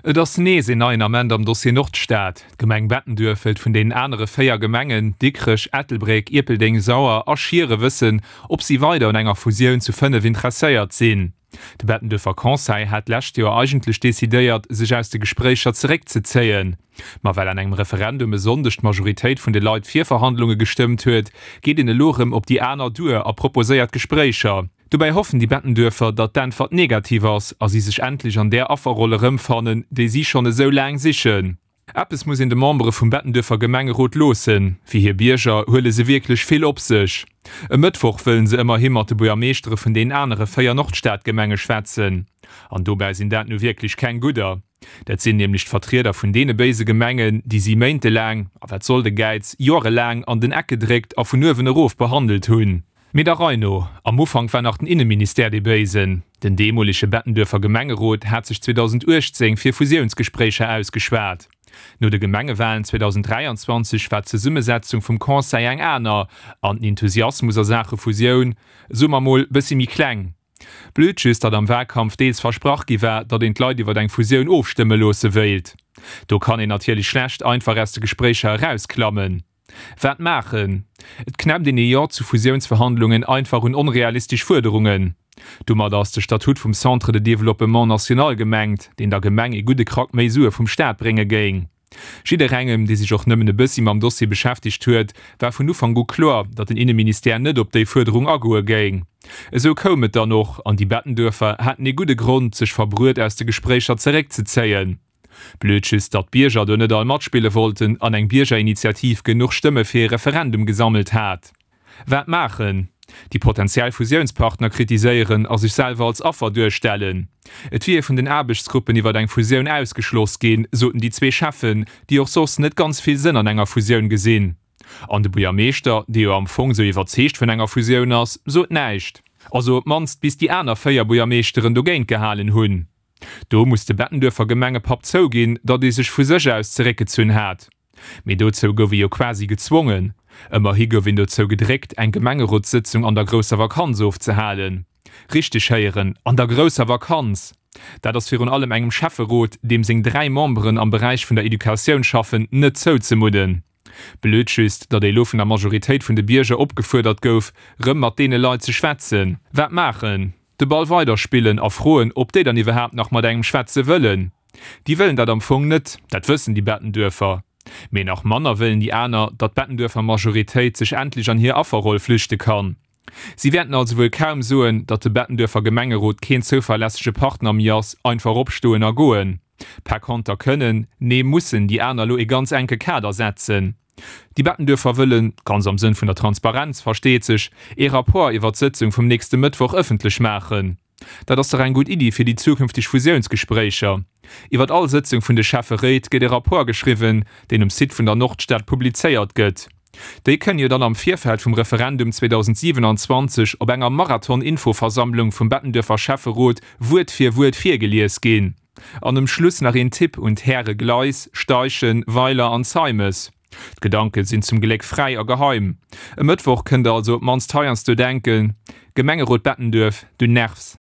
Et ass nees een neien Ament am Dossier Nordstad. D'Gemeng Bettenduerf wëllt vun deenen anere 4 Gemengen, Dikrech, Ettelbréck, Ierpeldeng, Sauer a Schiere wëssen, ob si weider un enger Fusioun zu 5 interesséiert sinn. De Bettenduerfer Conseil hat d'lescht Joer eigentlech decidéiert, sech aus de Gespréicher zeréckzezéien. Ma well an engem Referendum e Sonndeg d'Majoritéit vun de Leit fir Verhandlunge gestëmmt huet, geet een elo erëm op déi aner duer a proposéiert Gespréicher. Dobäi hoffen déi Bettenduerfer, datt d'Äntwert negativ ass a si sech endlech an där Afferroll erëmfannen, déi si schonn esou laang sichen. Eppes muss een de Membere vum Bettenduerfer Gemengerot loossen, Fir hir Bierger huele se wierklech vill op sech. E Mëttwoch wëllen se ëmmerhi mat de Buergermeeschtere vun den anere 4 Nordstadgemenge schwätzen. An dobäi sinn dat nu wierklech keng gudder. Dat sinn nämlech d'Vertrieder vun deene béise Gemengen, déi si méintelaang, a wat soll de Gäiz, joerelaang an den Eck gedréckt a vun uewen erof behandelt hunn. Mee der Rei no, am Ufank war nach den Inneministère dee Béisen. Den deemolege Bettenduerfer Gemengerot hat sech 2018 fir Fusiounsgespréicher ausgeschwat. No de Gemengewalen 2023 war d'Zesummesetzung vum Conseil eng aner an den Enthusiasmus a Saache Fusioun, soe mer mol, bëssi méi kleng. Blöd just, datt am Walkampf deels versprach gi war, datt een d'Leit iwwer eng Fusioun ofstëmme loosse wéilt. Do kann een natierlech schlecht einfach aus de Gespréicher erausklammen. Wat maachen? Et knäppt een ee Jo zu Fusiounsverhandlungen einfach un onrealistesch Fuerderungen. Domadder ass de Statut vum Centre de Développement National gemengt, deen der Gemeng ee gudde Krack méi Sue vum Staat brénge géing. Jidderengem, dee sech och nëmmen e bëssi mam Dossier beschäftegt huet, war vun Ufank u kloer, datt den Inneministère net op déi Fuerderung agoe géing. Esou koum et dann och, an déi Bettenduerfer haten ee gudde Grond, sech verbruet aus de Gespréicher zeréckzezéien. Blöd just, datt d'Bierger do net all matspille wollten an eng Biergerinitiativ genuch Stëmme fir ee Referendum gesammelt hat. Wat maachen? Déi potentiell Fusiounspartner kritiséieren a sech selwer als Affer duerstellen. Et wier ee vun den Aarbechtsgruppen iwwer eng Fusioun ausgeschloss ginn, soten déi zwee Cheffen, déi och soss net ganz vill Sënn an enger Fusioun gesinn. An de Buergermeeschter, dee jo am Fong sou iwwerzeegt vun enger Fusioun ass, sot näischt. Also op d'mannst bis déi aner 4 Buergermeeschteren dogéint gehalen hunn. Do muss de Bettenduerfer Gemengepapp zouginn, datt ee sech vu sech aus zeréckgezunn hat. Mee dozou gouf ee jo quasi gezwongen. Ëmmerhi gouf een dozou gedréckt, eng Gemengerotssëtzung an der grousser Vakanz ofzehalen. Richteg héieren, an der grousser Vakanz! Dat ass virun allem engem Schäfferot, deem seng 3 Memberen am Beräich vun der Educatioun schaffen, net zouzemudden. Blöd just, datt ee lo vun der Majoritéit vun de Bierger opgefuerdert gouf, rëm mat deene Leit ze schwätzen. Wat maachen? De Ball weiderspillen a froen, ob déi dann iwwerhaapt nach mat engem schwätze wëllen. Déi wëllen dat am Fong net, dat wëssen déi Bettenduerfer. Mee nach manner wëllen déi aner, datt d'Bettenduerfer Majoritéit sech endlech an hir Afferroll flüchte kann. Si wäerten also wuel kaum soen, datt de Bettenduerfer Gemengerot keen zouverlässege Partner méi ass, einfach opstoen a goen. Par konter kënnen, nee mussen déi aner lo ee ganz enke Kader setzen. Déi Bettenduerfer wëllen, ganz am Sënn vun der Transparenz, versteet sech, ee Rapport iwwer d'Sëtzung vum nächste Mëttwoch ëffentlech maachen. Dat ass dach eng gutt Iddi fir déi zukünfteg Fusiounsgespréicher. Iwwer all Sëtzung vun de Schäfferéit gëtt e Rapport geschriwwen, deen um Site vun der Nordstad publizéiert gëtt. Déi kënne jo dann am Virfeld vum Referendum 2027 op enger Marathon-Infoversammlung vum Bettenduerfer Schäfferot Wuert fir Wuert virgelies ginn. An um Schluss nach een Tipp un d'Häre Gleis, Steichen, Weiler an Zeimes, D'Gedanke sinn zum Gléck fräi a geheim. E Mëttwoch kënnt der also op d'mannst heiansdo denken, Gemengerot Bettenduerf, du nervs!